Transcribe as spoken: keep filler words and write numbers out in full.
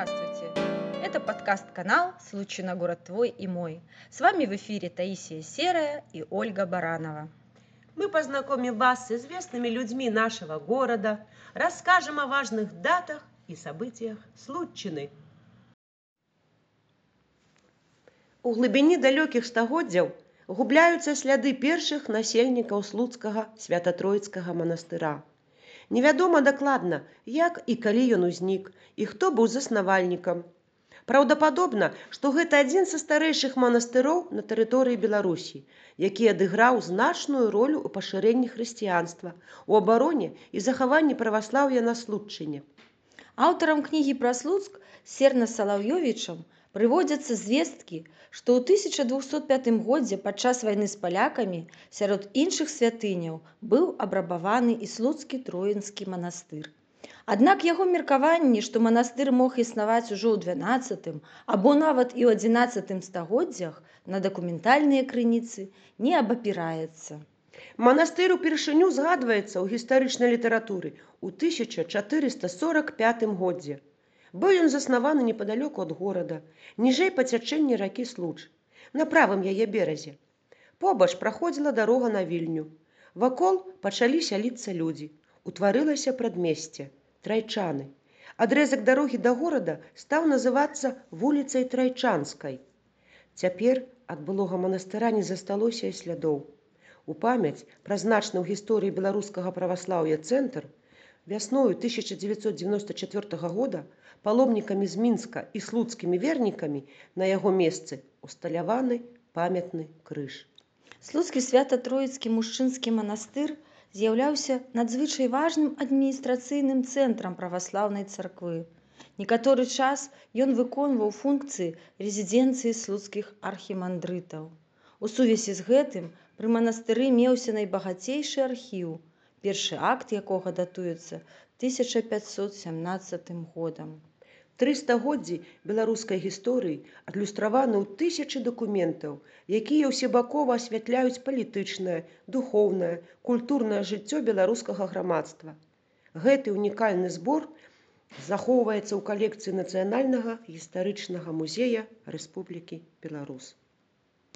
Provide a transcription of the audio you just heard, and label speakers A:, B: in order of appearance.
A: Здравствуйте! Это подкаст-канал «Случай на город твой и мой». С вами в эфире Таисия Серая и Ольга Баранова.
B: Мы познакомим вас с известными людьми нашего города, расскажем о важных датах и событиях Случчыны. У глыбіні далёкіх стагоддзяў губляюцца сляды першых насельнікаў слуцкага свята-троіцкага манастыра. Невядома дакладна, як і калі ён узнік, і хто быў заснавальнікам. Праўдападобна, што гэта адзін са старэйшых манастыроў на тэрыторыі Беларусі, які адыграў значную ролю ў пашырэнні хрысціянства, у абароне і захаванні праваслаўя на Случчыне.
A: Аўтарам кнігі пра Слуцк Серна Салаўёвічам прыводзяцца звесткі, што ў тысяча двухсот пятым годзе падчас вайны з палякамі сярод іншых святыняў быў абрабаваны і слуцкі троінскі манастыр. Аднак яго меркаванне, што манастыр мог існаваць ужо ў дванаццатым або нават і ў адзінаццатым стагоддзях, на дакументальныя крыніцы не абапіраецца.
B: Манастыр упершыню згадваецца ў гістарычнай літаратуры ў тысяча чатырыста сорак пятым годзе. Быў ён заснаваны непадалёку ад горада, ніжэй па цячэнні ракі Случ, на правым яе беразе. Побач праходзіла дарога на Вільню. Вакол пачалі сяліцца людзі. Утварылася прадмесце Трайчаны. Адрэзак дарогі да горада стаў называцца вуліцай Трайчанскай. Цяпер ад былога манастыра не засталося і слядоў. У памяць пра значны ў гісторыі беларускага праваслаўя цэнтр вясною тысяча дзевяцьсот дзевяноста чацвёртага года паломнікамі з Мінска і слуцкімі вернікамі на яго месцы усталяваны памятны крыж.
A: Слуцкі свята-троіцкі мужчынскі манастыр з'яўляўся надзвычай важным адміністрацыйным цэнтрам праваслаўнай царквы. Некаторы час ён выконваў функцыі рэзідэнцыі слуцкіх архімандрытаў. У сувязі з гэтым пры манастыры меўся найбагацейшы архіў, першы акт якога датуецца тысяча пяцьсот сямнаццатым годам.
B: Тры стагоддзі беларускай гісторыі адлюстраваны ў тысячы дакументаў, якія ўсебакова асвятляюць палітычнае, духоўнае, культурнае жыццё беларускага грамадства. Гэты унікальны збор захоўваецца ў калекцыі Нацыянальнага гістарычнага музея Рэспублікі Беларусь.